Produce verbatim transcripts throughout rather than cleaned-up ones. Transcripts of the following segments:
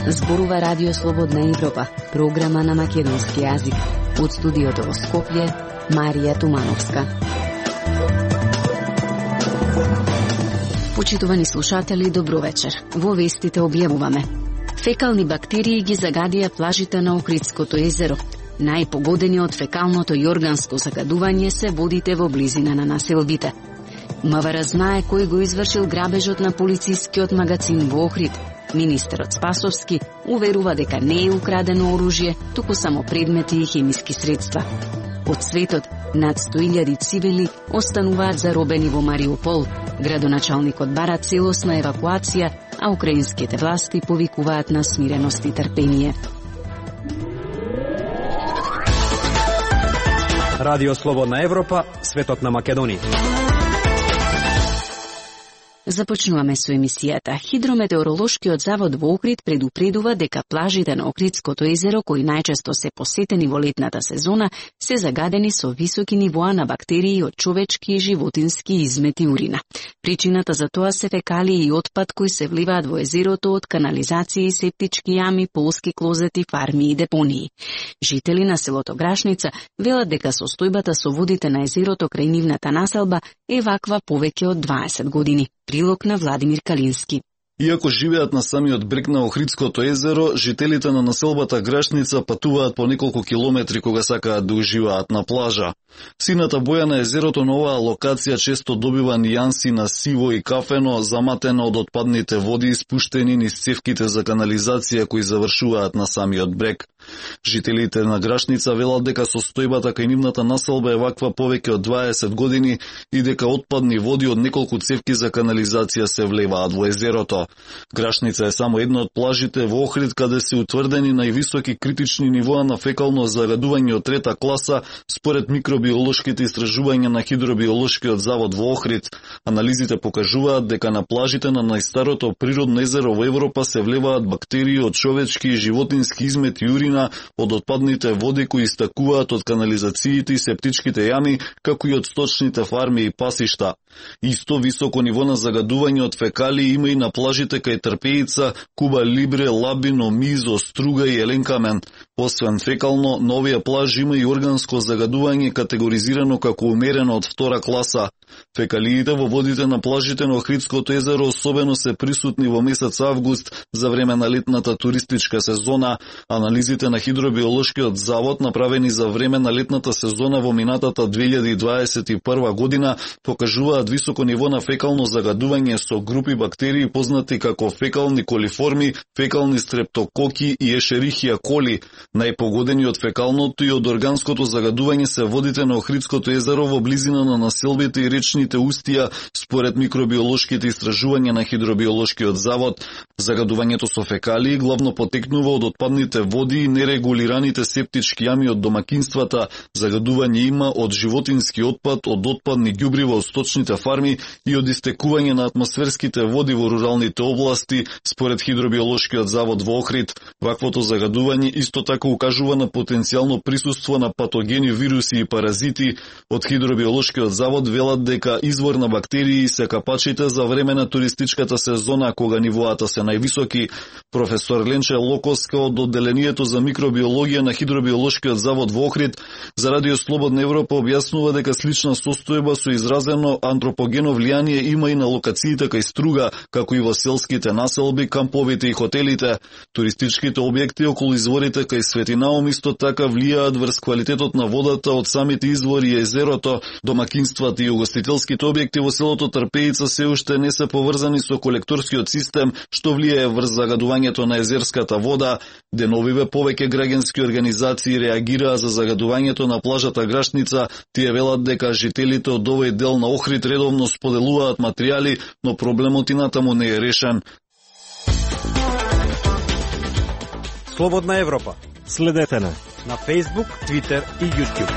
Зборува Радио Слободна Европа, програма на македонски јазик. Од студиото во Скопје, Марија Тумановска. Почитувани слушатели, добро вечер. Во вестите објавуваме: фекални бактерии ги загадија плажите на Охридското езеро. Најпогодени од фекалното и органско загадување се водите во близина на населбите. МВР знае кој го извршил грабежот на полицискиот магазин во Охрид. Министерот Спасовски уверува дека не е украдено оружје, туку само предмети и хемиски средства. Од светот, над сто илјади цивили остануваат заробени во Мариупол. Градоначалникот бара целосна евакуација, а украинските власти повикуваат на смиреност и трпение. Радио Слободна Европа, светот на Македонија. Започнуваме со емисијата. Хидрометеоролошкиот завод во Охрид предупредува дека плажите на Охридското езеро, кои најчесто се посетени во летната сезона, се загадени со високи нивоа на бактерии од човечки и животински измет и урина. Причината за тоа се фекалии и отпад кои се вливаат во езерото од канализации, септички јами, полски клозети, фарми и депонии. Жители на селото Грашница велат дека состојбата со водите на езерото крај нивната населба е ваква повеќе од дваесет години. Прилог на Владимир Калински. Иако живеат на самиот брег на Охридското езеро, жителите на населбата Грашница патуваат по неколку километри кога сакаат да уживаат на плажа. Сината боја на езерото на оваа локација често добива нијанси на сиво и кафено, заматено од отпадните води испуштени низ цевките за канализација кои завршуваат на самиот брег. Жителите на Грашница велат дека состојбата кај нивната населба е ваква повеќе од дваесет години и дека отпадни води од неколку цевки за канализација се влеваат во езерото. Грашница е само една од плажите во Охрид каде се утврдени највисоки критични нивоа на фекално загадување од трета класа според микробиолошките истражувања на Хидробиолошкиот завод во Охрид. Анализите покажуваат дека на плажите на најстарото природно езеро во Европа се влеваат бактерии од човечки и животински измет и урина од отпадните води кои истакуваат од канализациите и септичките јами, како и од сточните фарми и пасишта. Исто високо ниво на загадување од фекалии има и на плажите кај Трпеица, Куба Либре, Лабино, Мизо, Струга и Еленкамен. Освен фекално, на овие плажи има и органско загадување категоризирано како умерено од втора класа. Фекалиите во водите на плажите на Охридското езеро особено се присутни во месец август за време на летната туристичка сезона. Анализите на Хидробиолошкиот завод направени за време на летната сезона во минатата две илјади дваесет и прва година покажуваат високо ниво на фекално загадување со групи бактерии познати како фекални колиформи, фекални стрептококи и ешерихија коли. Најпогодени од фекалното и од органското загадување се водите на Охридското езеро во близина на населбите и речните устија, според микробиолошките истражувања на Хидробиолошкиот завод. Загадувањето со фекалии главно потекнува од отпадните води и нерегулираните септички јами од домакинствата. Загадување има од животински отпад, од отпадни ѓубрива од сточните фарми и од истекување на атмосферските води во руралните области, според Хидробиолошкиот завод во Охрид. Ваквото загадување исто така укажува на потенцијално присуство на патогени, вируси и паразити. Од Хидробиолошкиот завод велат дека извор на бактерии се капачите за време на туристичката сезона кога нивоата се највисоки. Професор Ленче Локоска од одделението за микробиологија на Хидробиолошкиот завод во Охрид за Радио Слободна Европа објаснува дека слична состојба со изразено антропогено влијание има и на локациите кај Струга, како и во селските населби, камповите и хотелите. Туристичките објекти околу изворите кај Свети Наум исто така влијаат врз квалитетот на водата од самите извори и езерото. Домакинствата и угостителските објекти во селото Трпеица се уште не се поврзани со колекторскиот систем, што влијае врз загадувањето на езерската вода. Деновиве повеќе граѓански организации реагираа за загадувањето на плажата Грашница. Тие велат дека жителите од овој дел на Охрид редовно споделуваат материјали, но проблемот и натаму не е решен. Слободна Европа. Следете на на Facebook, Twitter и YouTube.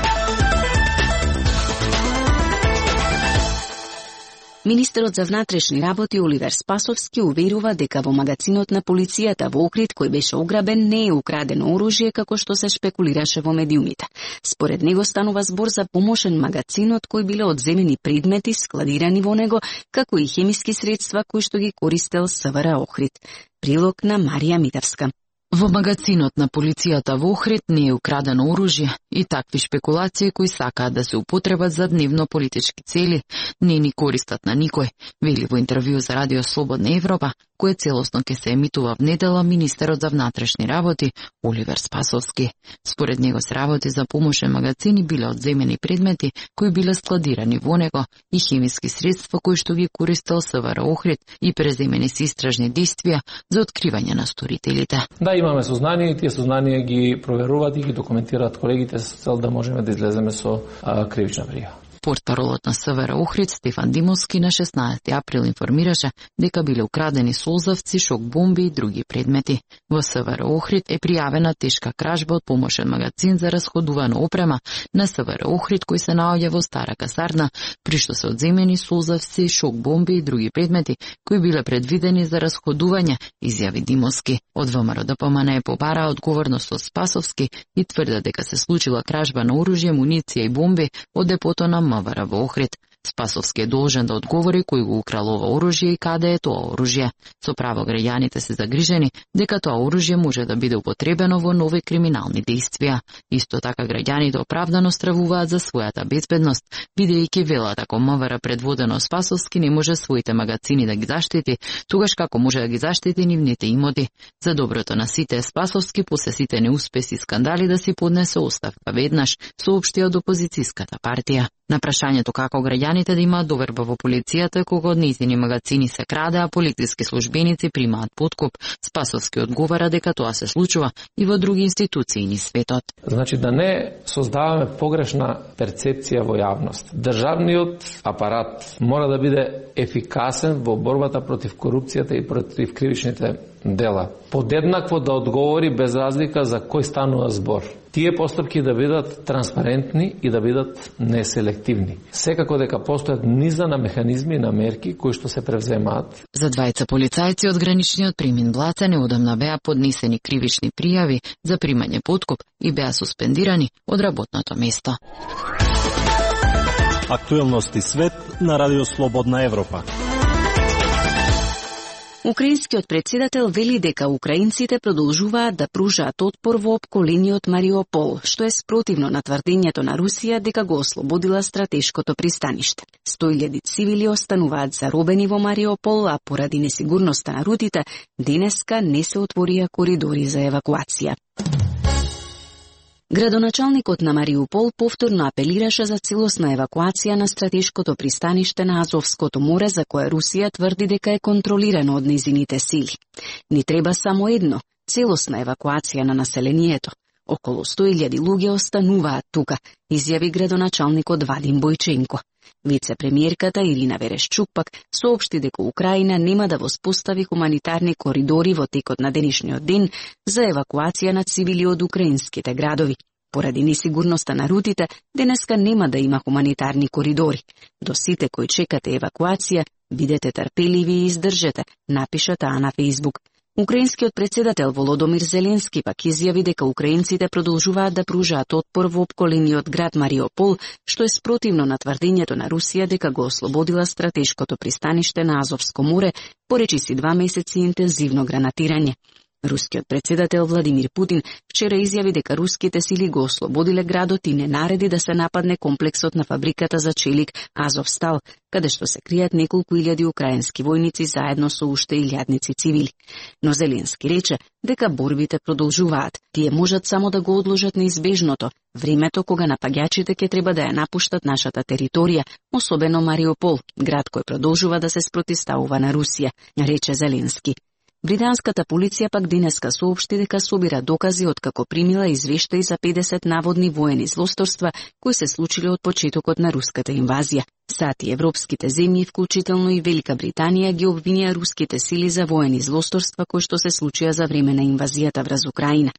Министерот за внатрешни работи Оливер Спасовски уверува дека во магазинот на полицијата во Охрид кој беше ограбен не е украдено оружје како што се шпекулираше во медиумите. Според него станува збор за помошен магазинот кој биле одземени предмети складирани во него, како и хемиски средства кои што ги користел СВР Охрид. Прилог на Марија Митевска. Во магазинот на полицијата во Охрид не е украдено оружје и такви шпекулации кои сакаат да се употребат за дневно политички цели не ни користат на никој, вели во интервју за Радио Слободна Европа, кое целосно ќе се емитува в недела министерот за внатрешни работи Оливер Спасовски. Според него се работи за помошен магазин и биле одземени предмети кои биле складирани во него и хемиски средства кои што ги користел СВР Охрид и преземени се истражни действија за откривање на сторителите. Да, имаме сознание и тие сознанија ги проверуваат и ги документираат колегите со цел да можеме да излеземе со а, кривична пријава. Портпаролот на СВР Охрид Стефан Димовски на шеснаесети април информираше дека биле украдени солзавци, шок бомби и други предмети. Во СВР Охрид е пријавена тешка кражба од помошен магазин за расходувана опрема на СВР Охрид кој се наоѓа во стара касарна, при што се одземени солзавци, шок бомби и други предмети кои биле предвидени за расходување, изјави Димовски. Од ВМРО ДПМН е побара одговорност од Спасовски и тврде дека се случила кражба на оружје, муниција и бомби од депото на МВР во Охрид. Спасовски е должен да одговори кој го украл ова оружје и каде е тоа оружје. Со право граѓаните се загрижени дека тоа оружје може да биде употребено во нови криминални действија. Исто така граѓаните оправдано стравуваат за својата безбедност, бидејќи велат ако МВР предводено Спасовски не може своите магазини да ги заштити, тогаш како може да ги заштити нивните имоти. За доброто на сите Спасовски после сите неуспеси и скандали да си поднесе оставка веднаш, соопштија од опозицијската партија. На прашањето како граѓаните да имаат доверба во полицијата кога од нејзини магазини се краде, а полициски службеници примаат подкуп, Спасовски одговара дека тоа се случува и во други институции низ светот. Значи да не создаваме погрешна перцепција во јавност. Државниот апарат мора да биде ефикасен во борбата против корупцијата и против кривичните дела. Подеднакво да одговори без разлика за кој станува збор. Тие постапки да бидат транспарентни и да бидат неселективни. Секако дека постојат низа на механизми и на мерки кои што се превземаат. За двајца полицајци од граничниот премин Блаца неодамна беа поднесени кривични пријави за примање подкуп и беа суспендирани од работното место. Актуелности свет на Радио Слободна Европа. Украинскиот председател вели дека украинците продолжуваат да пружаат отпор во опколениот Мариупол, што е спротивно на тврдењето на Русија дека го ослободила стратешкото пристаниште. сто илјади цивили остануваат заробени во Мариупол, а поради несигурноста на рутите, денеска не се отворија коридори за евакуација. Градоначалникот на Мариупол повторно апелираше за целосна евакуација на стратешкото пристаниште на Азовското море, за кое Русија тврди дека е контролирано од нејзините сили. Ни треба само едно – целосна евакуација на населението. Околу сто илјади луѓе остануваат тука, изјави градоначалникот Вадим Бојченко. Вице-премиерката Ирина Верешчук пак соопшти дека Украина нема да воспостави хуманитарни коридори во текот на денешниот ден за евакуација на цивили од украинските градови. Поради несигурноста на рутите, денеска нема да има хуманитарни коридори. До сите кои чекате евакуација, бидете трпеливи и издржете, напиша таа на Фејсбук. Украинскиот председател Володомир Зеленски пак изјави дека украинците продолжуваат да пружаат отпор во опколениот град Мариупол, што е спротивно на тврдењето на Русија дека го ослободила стратешкото пристаниште на Азовско море, поречиси два месеци интензивно гранатирање. Рускиот председател Владимир Путин вчера изјави дека руските сили го ослободиле градот и не нареди да се нападне комплексот на фабриката за челик Азовстал, каде што се кријат неколку илјади украински војници заедно со уште илјадници цивили. Но Зеленски рече дека борбите продолжуваат. Тие можат само да го одложат неизбежното, времето кога напаѓачите ќе треба да ја напуштат нашата територија, особено Мариупол, град кој продолжува да се спротивставува на Русија, рече Зеленски. Британската полиција пак денеска соопшти дека собира докази откако примила извештаи за педесет наводни воени злосторства кои се случиле од почетокот на руската инвазија. САД и европските земји, вклучително и Велика Британија, ги обвинија руските сили за воени злосторства кои што се случија за време на инвазијата врз Украина.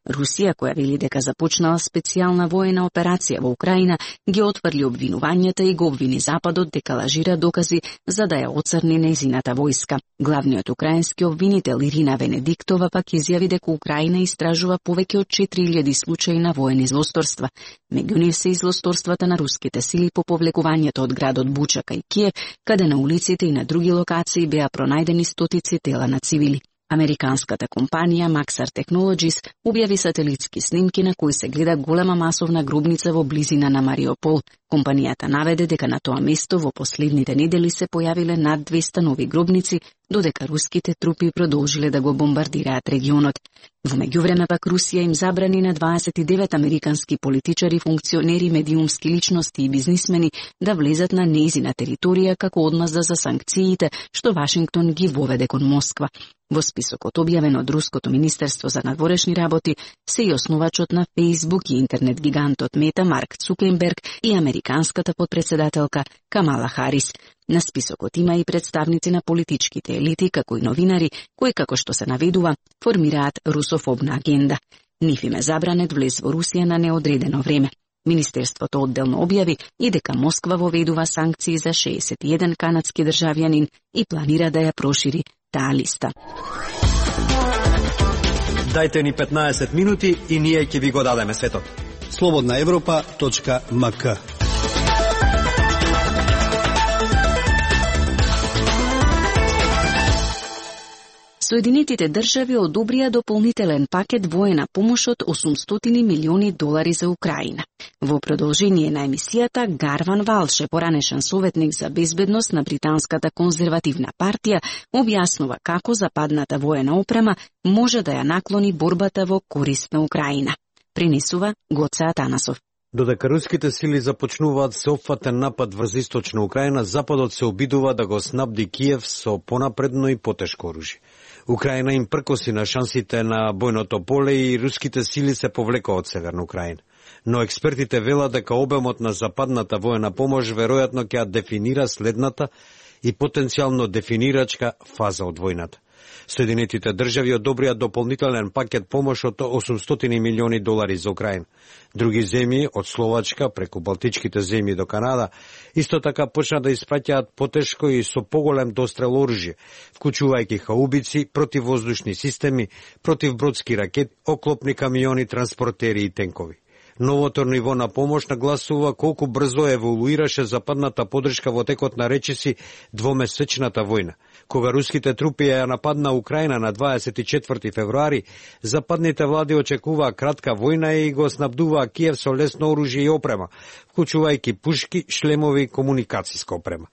Русија, која вели дека започнала специјална воена операција во Украина, ги отврли обвинувањата и го обвини Западот дека лажира докази за да ја оцрни нејзината војска. Главниот украински обвинител Ирина Венедиктова пак изјави дека Украина истражува повеќе од четири илјади случаи на воени злосторства. Меѓу нив се и злосторствата на руските сили по повлекувањето од градот Буча кај Киев, каде на улиците и на други локации беа пронајдени стотици тела на цивили. Американската компанија Maxar Technologies објави сателитски снимки на кои се гледа голема масовна гробница во близина на Мариупол. Компанијата наведе дека на тоа место во последните недели се појавиле над двесте нови гробници, додека руските трупи продолжиле да го бомбардираат регионот. Во меѓувреме пак Русија им забрани на дваесет и девет американски политичари, функционери, медиумски личности и бизнисмени да влезат на нејзина територија како одмазда за санкциите што Вашингтон ги воведе кон Москва. Во списокот објавен од Руското министерство за надворешни работи се и основачот на Фејсбук и интернет гигантот Мета Марк Цукерберг и американската подпредседателка Камала Харис. На списокот има и представници на политичките елити, како и новинари, кои, како што се наведува, формираат русофобна агенда. Нив им е забранет влез во Русија на неодредено време. Министерството одделно објави и дека Москва воведува санкции за шеесет и еден канадски државјанин и планира да ја прошири таа листа. Дајте ни петнаесет минути и ние ќе ви го дадеме светот. слободна европа точка ем ка. Соединетите држави одобрија дополнителен пакет воена помош од осумстотини милиони долари за Украина. Во продолжение на емисијата, Гарван Валше, поранешен советник за безбедност на британската конзервативна партија, објаснува како западната воена опрема може да ја наклони борбата во корист на Украина. Пренесува Гоце Атанасов. Додека руските сили започнуваат сеопфатен напад врз источна Украина, Западот се обидува да го снабди Киев со понапредно и потешко оружје. Украина им пркоси на шансите на бојното поле и руските сили се повлекоа од Северна Украина. Но експертите велат дека обемот на западната воена помош веројатно ќе ја дефинира следната и потенцијално дефинирачка фаза од војната. Соединетите држави одобрија дополнителен пакет помош од осумстотини милиони долари за Украина. Други земји, од Словачка преку Балтичките земји до Канада, исто така почна да испраќаат потешко и со поголем дострел оружје, вклучувајќи хаубици, противвоздушни системи, противбродски ракети, оклопни камиони, транспортери и тенкови. Новото ниво на помош нагласува колку брзо еволуираше западната подршка во текот на речиси двомесечната војна. Кога руските трупи ја нападна Украина на дваесет и четврти февруари, западните влади очекуваа кратка војна и го снабдуваа Киев со лесно оружје и опрема, вклучувајќи пушки, шлемови и комуникацијска опрема.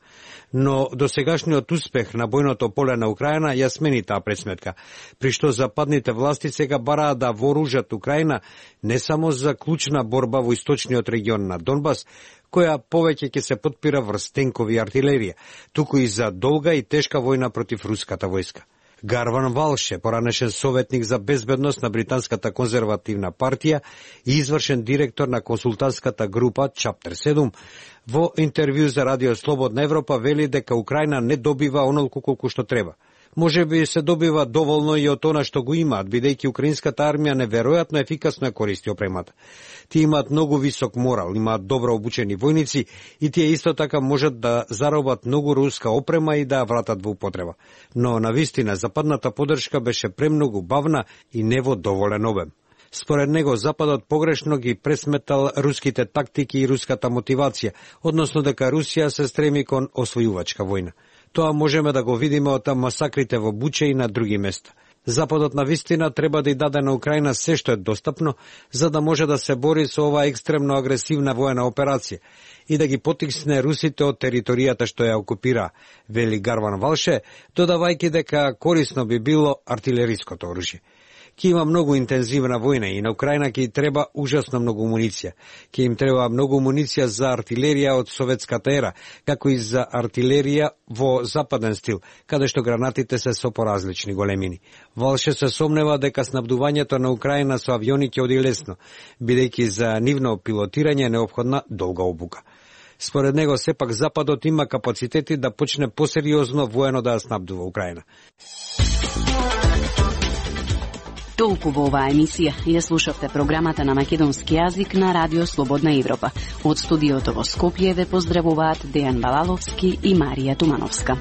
Но досегашниот успех на бојното поле на Украина ја смени таа предсметка, при што западните власти сега бараат да вооружат Украина не само за клучна борба во источниот регион на Донбас, која повеќе ќе се подпира врз тенкови и артилерија, туку и за долга и тешка војна против руската војска. Гарван Валше, поранешен советник за безбедност на британската конзервативна партија и извршен директор на консултантската група Чаптер седум, во интервју за Радио Слободна Европа вели дека Украина не добива онолку колку што треба. Може би се добива доволно и од она што го имаат, бидејќи украинската армија неверојатно ефикасно ја користи опремата. Тие имаат многу висок морал, имаат добро обучени војници и тие исто така можат да заробат многу руска опрема и да ја вратат во употреба. Но навистина западната поддршка беше премногу бавна и не во доволен обем. Според него, Западот погрешно ги пресметал руските тактики и руската мотивација, односно дека Русија се стреми кон освојувачка војна. Тоа можеме да го видиме од масакрите во Буча и на други места. Западот на вистина треба да ја даде на Украина се што е достапно, за да може да се бори со оваа екстремно агресивна воена операција и да ги потикне русите од територијата што ја окупира, вели Гарван Валше, додавајќи дека корисно би било артилериското оружје. Ке има многу интензивна војна и на Украина ќе треба ужасно многу муниција. Ке им треба многу муниција за артилерија од советската ера, како и за артилерија во западен стил, каде што гранатите се со поразлични големини. Валше се сомнева дека снабдувањето на Украина со авиони ќе оди лесно, бидејќи за нивно пилотирање е неопходна долга обука. Според него, сепак Западот има капацитети да почне посериозно воено да ја снабдува Украина. Толку во оваа емисија. Ја слушавте програмата на македонски јазик на Радио Слободна Европа. Од студиото во Скопје ве поздравуваат Дејан Балаловски и Марија Тумановска.